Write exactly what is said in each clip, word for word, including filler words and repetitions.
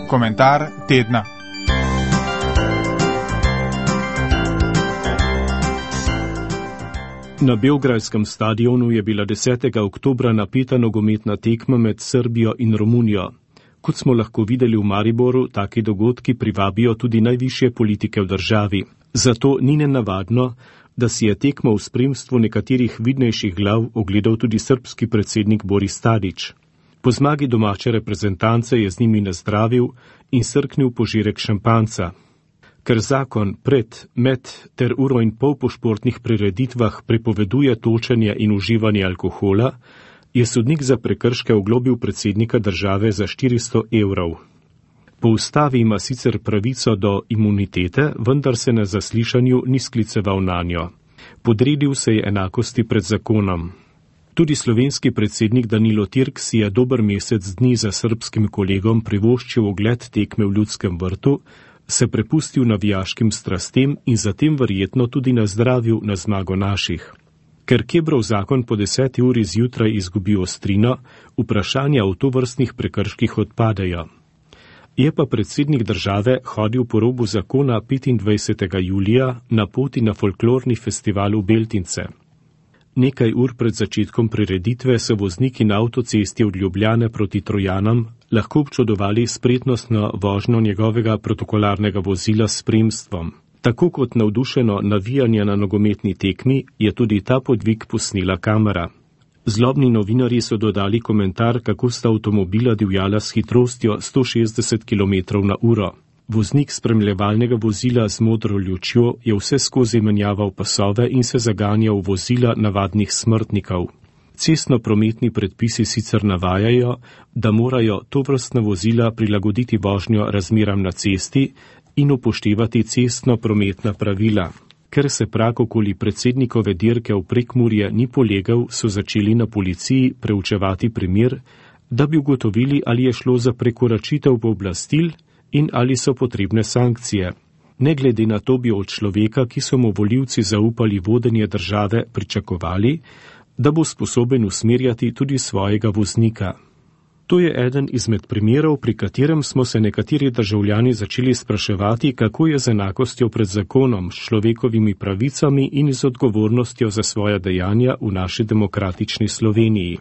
Komentar tedna. Na beograjskem stadionu je bila desetega oktobra napeta nogometna tekma med Srbijo in Romunijo. Kot smo lahko videli v Mariboru, taki dogodki privabijo tudi najvišje politike v državi. Zato ni nenavadno, da si je tekmo v spremstvu nekaterih vidnejših glav ogledal tudi srbski predsednik Boris Tadić. Po zmagi domače reprezentance je z njimi nazdravil in srknil požirek šampanca. Ker zakon pred, med ter uro in pol po športnih prireditvah prepoveduje točenje in uživanje alkohola, je sodnik za prekrške oglobil predsednika države za štiristo evrov. Po ustavi ima sicer pravico do imunitete, vendar se na zaslišanju ni skliceval nanjo. Podredil se je enakosti pred zakonom. Tudi slovenski predsednik Danilo Tirk si je dober mesec dni za srbskim kolegom privoščil ogled tekme v Ljudskem vrtu, se prepustil navijaškim strastem in zatem verjetno tudi nazdravil na zmago naših. Ker Kebrov zakon po deseti uri zjutraj izgubi ostrino, vprašanja o tovrstnih prekrških odpadejo. Je pa predsednik države hodil po robu zakona petindvajsetega julija na poti na folklorni festival v Beltince. Nekaj ur pred začetkom prireditve so vozniki na avtocesti od Ljubljane proti Trojanam lahko občudovali spretnostno vožnjo njegovega protokolarnega vozila s spremstvom. Tako kot navdušeno navijanje na nogometni tekmi je tudi ta podvig posnela kamera. Zlobni novinarji so dodali komentar, kako sta avtomobila divjala s hitrostjo sto šestdeset kilometrov na uro. Voznik spremljevalnega vozila z modro lučjo je vse skozi menjaval pasove in se zaganjal v vozila navadnih smrtnikov. Cestno-prometni predpisi sicer navajajo, da morajo tovrstna vozila prilagoditi vožnjo razmeram na cesti in upoštevati cestno-prometna pravila. Ker se prag okoli predsednikove dirke v Prekmurje ni polegal, so začeli na policiji preučevati primer, da bi ugotovili, ali je šlo za prekoračitev pooblastil in ali so potrebne sankcije. Ne glede na to bi od človeka, ki so mu volivci zaupali vodenje države, pričakovali, da bo sposoben usmerjati tudi svojega voznika. To je eden izmed primerov, pri katerem smo se nekateri državljani začeli spraševati, kako je z enakostjo pred zakonom, s človekovimi pravicami in z odgovornostjo za svoja dejanja v naši demokratični Sloveniji.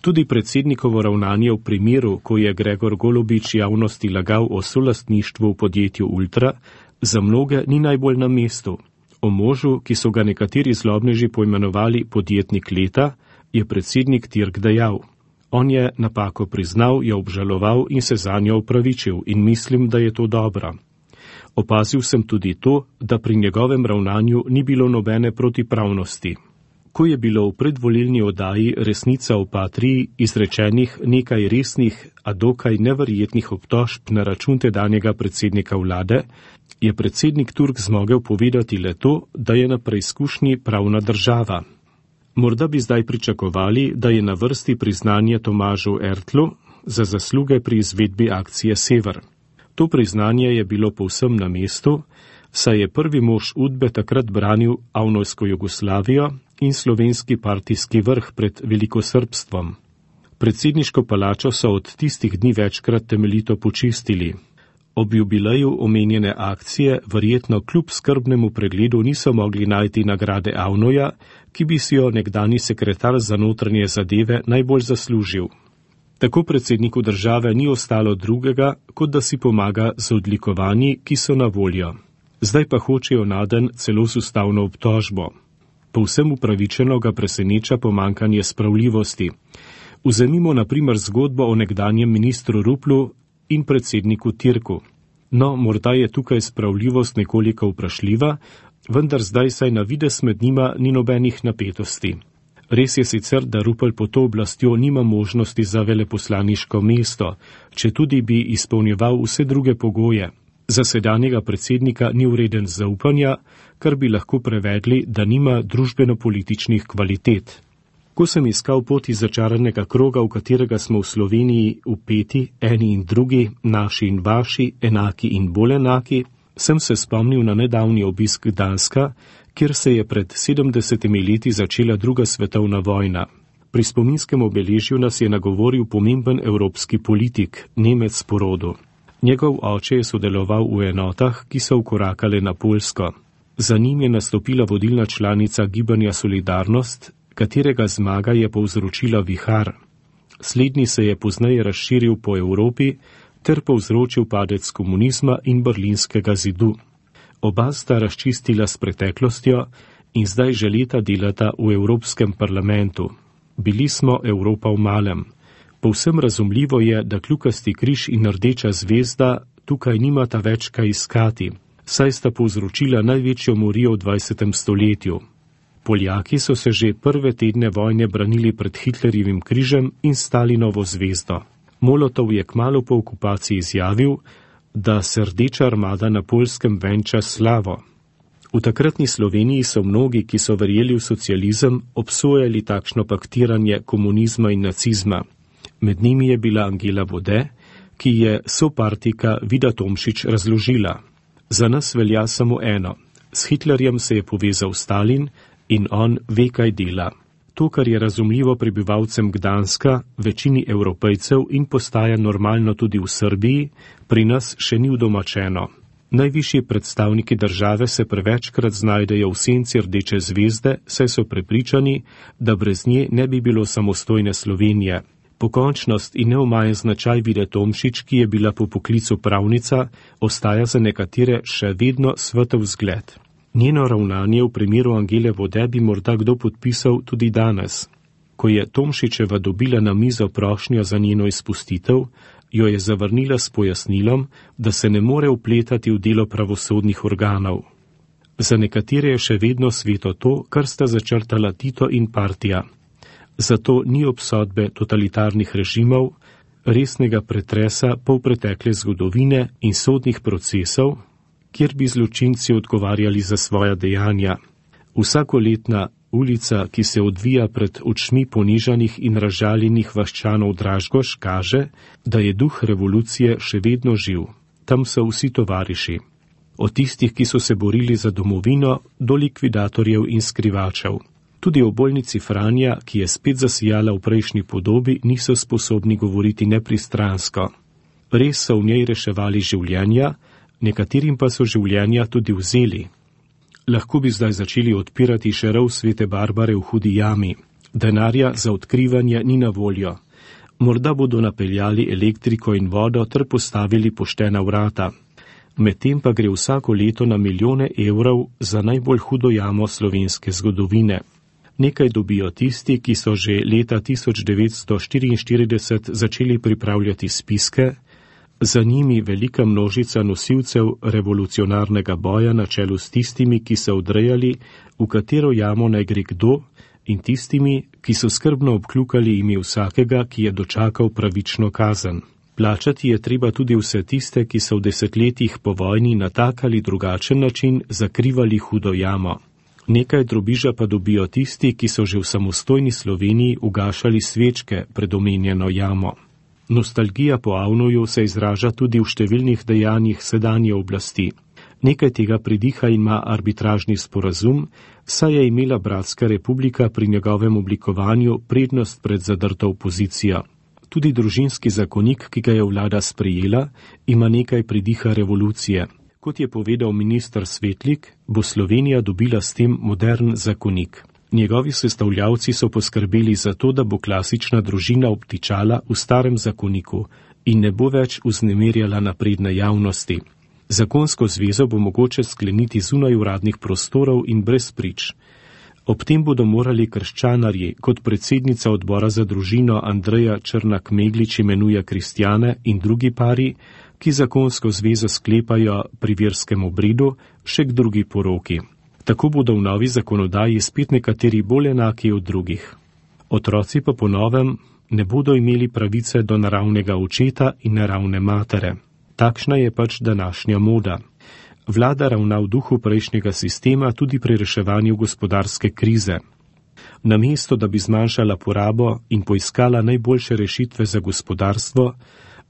Tudi predsednikovo ravnanje v primeru, ko je Gregor Golobič javnosti lagal o solastništvu v podjetju Ultra, za mnoge ni najbolj na mestu. O možu, ki so ga nekateri zlobneži poimenovali podjetnik leta, je predsednik Tirk dejal. On je napako priznal, jo obžaloval in se zanjo opravičil in mislim, da je to dobro. Opazil sem tudi to, da pri njegovem ravnanju ni bilo nobene protipravnosti. Ko je bilo v predvolilni oddaji Resnica o Patriji izrečenih nekaj resnih, a dokaj neverjetnih obtožb na račun tedanjega predsednika vlade, je predsednik Turk zmogel povedati le to, da je na preizkušnji pravna država. Morda bi zdaj pričakovali, da je na vrsti priznanje Tomažu Ertlu za zasluge pri izvedbi akcije Sever. To priznanje je bilo povsem na mestu, saj je prvi mož Udbe takrat branil avnojsko Jugoslavijo in slovenski partijski vrh pred velikosrbstvom. Predsedniško palačo so od tistih dni večkrat temeljito počistili. Ob jubileju omenjene akcije verjetno kljub skrbnemu pregledu niso mogli najti nagrade Avnoja, ki bi si jo nekdani sekretar za notranje zadeve najbolj zaslužil. Tako predsedniku države ni ostalo drugega, kot da si pomaga z odlikovanji, ki so na voljo. Zdaj pa hočejo naden celo z ustavno obtožbo. Povsem upravičeno ga preseneča pomankanje spravljivosti. Vzemimo na primer zgodbo o nekdanjem ministru Ruplu in predsedniku Tirku. No, morda je tukaj spravljivost nekoliko vprašljiva, vendar zdaj saj na vides med njima ni nobenih napetosti. Res je sicer, da Rupel pod to oblastjo nima možnosti za veleposlaniško mesto, če tudi bi izpolnjeval vse druge pogoje. Za sedanjega predsednika ni vreden zaupanja, kar bi lahko prevedli, da nima družbeno-političnih kvalitet. Ko sem iskal pot iz začaranega kroga, v katerega smo v Sloveniji vpeti, eni in drugi, naši in vaši, enaki in bolj enaki, sem se spomnil na nedavni obisk Gdanska, kjer se je pred sedemdesetimi leti začela druga svetovna vojna. Pri spominskem obeležju nas je nagovoril pomemben evropski politik, Nemec po rodu. Njegov oče je sodeloval v enotah, ki so vkorakale na Poljsko. Za njim je nastopila vodilna članica gibanja Solidarnost, katerega zmaga je povzročila vihar. Slednji se je pozneje razširil po Evropi ter povzročil padec komunizma in berlinskega zidu. Oba sta razčistila s preteklostjo in zdaj že leta delata v Evropskem parlamentu. Bili smo Evropa v malem. Povsem razumljivo je, da kljukasti križ in rdeča zvezda tukaj nimata več kaj iskati, saj sta povzročila največjo morijo v dvajsetem stoletju. Poljaki so se že prve tedne vojne branili pred Hitlerjevim križem in Stalinovo zvezdo. Molotov je kmalu po okupaciji izjavil, da se rdeča armada na Poljskem venča slavo. V takratni Sloveniji so mnogi, ki so verjeli v socializem, obsojali takšno paktiranje komunizma in nacizma. Med njimi je bila Angela Vode, ki je sopartika Vida Tomšič razložila. Za nas velja samo eno. S Hitlerjem se je povezal Stalin in on ve, kaj dela. To, kar je razumljivo prebivalcem Gdanska, večini Evropejcev in postaja normalno tudi v Srbiji, pri nas še ni udomačeno. Najvišji predstavniki države se prevečkrat znajdejo v senci rdeče zvezde, saj so prepričani, da brez nje ne bi bilo samostojne Slovenije. Pokončnost in neomajen značaj Vide Tomšič, ki je bila po poklicu pravnica, ostaja za nekatere še vedno svetov zgled. Njeno ravnanje v primeru Angele Vode bi morda kdo podpisal tudi danes. Ko je Tomšičeva dobila na mizo prošnjo za njeno izpustitev, jo je zavrnila s pojasnilom, da se ne more vpletati v delo pravosodnih organov. Za nekatere je še vedno sveto to, kar sta začrtala Tito in partija. Zato ni obsodbe totalitarnih režimov, resnega pretresa polpretekle zgodovine in sodnih procesov, kjer bi zločinci odgovarjali za svoja dejanja. Vsakoletna ulica, ki se odvija pred očmi ponižanih in razžaljenih vaščanov Dražgoš, kaže, da je duh revolucije še vedno živ. Tam so vsi tovariši. Od tistih, ki so se borili za domovino, do likvidatorjev in skrivačev. Tudi o bolnici Franja, ki je spet zasijala v prejšnji podobi, niso sposobni govoriti nepristransko. Res so v njej reševali življenja, nekaterim pa so življenja tudi vzeli. Lahko bi zdaj začeli odpirati še rov Svete Barbare v Hudi jami. Denarja za odkrivanje ni na voljo. Morda bodo napeljali elektriko in vodo ter postavili poštena vrata. Medtem pa gre vsako leto na milijone evrov za najbolj hudo jamo slovenske zgodovine. Nekaj dobijo tisti, ki so že leta tisoč devetsto štiriinštirideset začeli pripravljati spiske, za njimi velika množica nosilcev revolucionarnega boja na čelu s tistimi, ki so odrejali, v katero jamo naj gre kdo, in tistimi, ki so skrbno obkljukali ime vsakega, ki je dočakal pravično kazen. Plačati je treba tudi vse tiste, ki so v desetletjih po vojni na tak ali drugačen način zakrivali hudo jamo. Nekaj drobiža pa dobijo tisti, ki so že v samostojni Sloveniji ugašali svečke pred omenjeno jamo. Nostalgija po Avnoju se izraža tudi v številnih dejanjih sedanje oblasti. Nekaj tega pridiha ima arbitražni sporazum, saj je imela Bratska republika pri njegovem oblikovanju prednost pred zadrto opozicijo. Tudi družinski zakonik, ki ga je vlada sprejela, ima nekaj pridiha revolucije. Kot je povedal minister Svetlik, bo Slovenija dobila s tem modern zakonik. Njegovi sestavljavci so poskrbeli za to, da bo klasična družina obtičala v starem zakoniku in ne bo več vznemirjala napredne javnosti. Zakonsko zvezo bo mogoče skleniti zunaj uradnih prostorov in brez prič. Ob tem bodo morali krščanarji, kot predsednica odbora za družino Andreja Črnak-Meglič imenuje kristjane in drugi pari, ki zakonsko zvezo sklepajo pri verskem obredu, še k drugi poroki. Tako bodo v novi zakonodaji spet nekateri bolj enaki od drugih. Otroci pa po novem ne bodo imeli pravice do naravnega očeta in naravne matere. Takšna je pač današnja moda. Vlada ravna v duhu prejšnjega sistema tudi pri reševanju gospodarske krize. Namesto, da bi zmanjšala porabo in poiskala najboljše rešitve za gospodarstvo,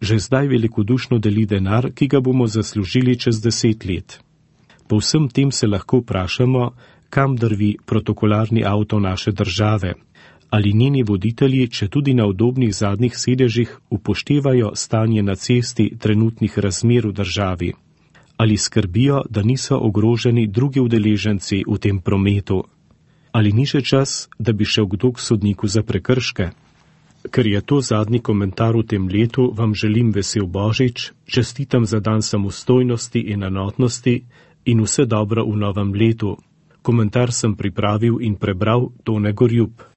že zdaj velikodušno deli denar, ki ga bomo zaslužili čez deset let. Po vsem tem se lahko vprašamo, kam drvi protokolarni avto naše države. Ali njeni voditelji, če tudi na udobnih zadnjih sedežih, upoštevajo stanje na cesti trenutnih razmer v državi? Ali skrbijo, da niso ogroženi drugi udeleženci v tem prometu? Ali ni še čas, da bi šel kdo k sodniku za prekrške? Ker je to zadnji komentar v tem letu, vam želim vesel Božič, čestitam za dan samostojnosti in enotnosti in vse dobro v novem letu. Komentar sem pripravil in prebral Tone Gorjup.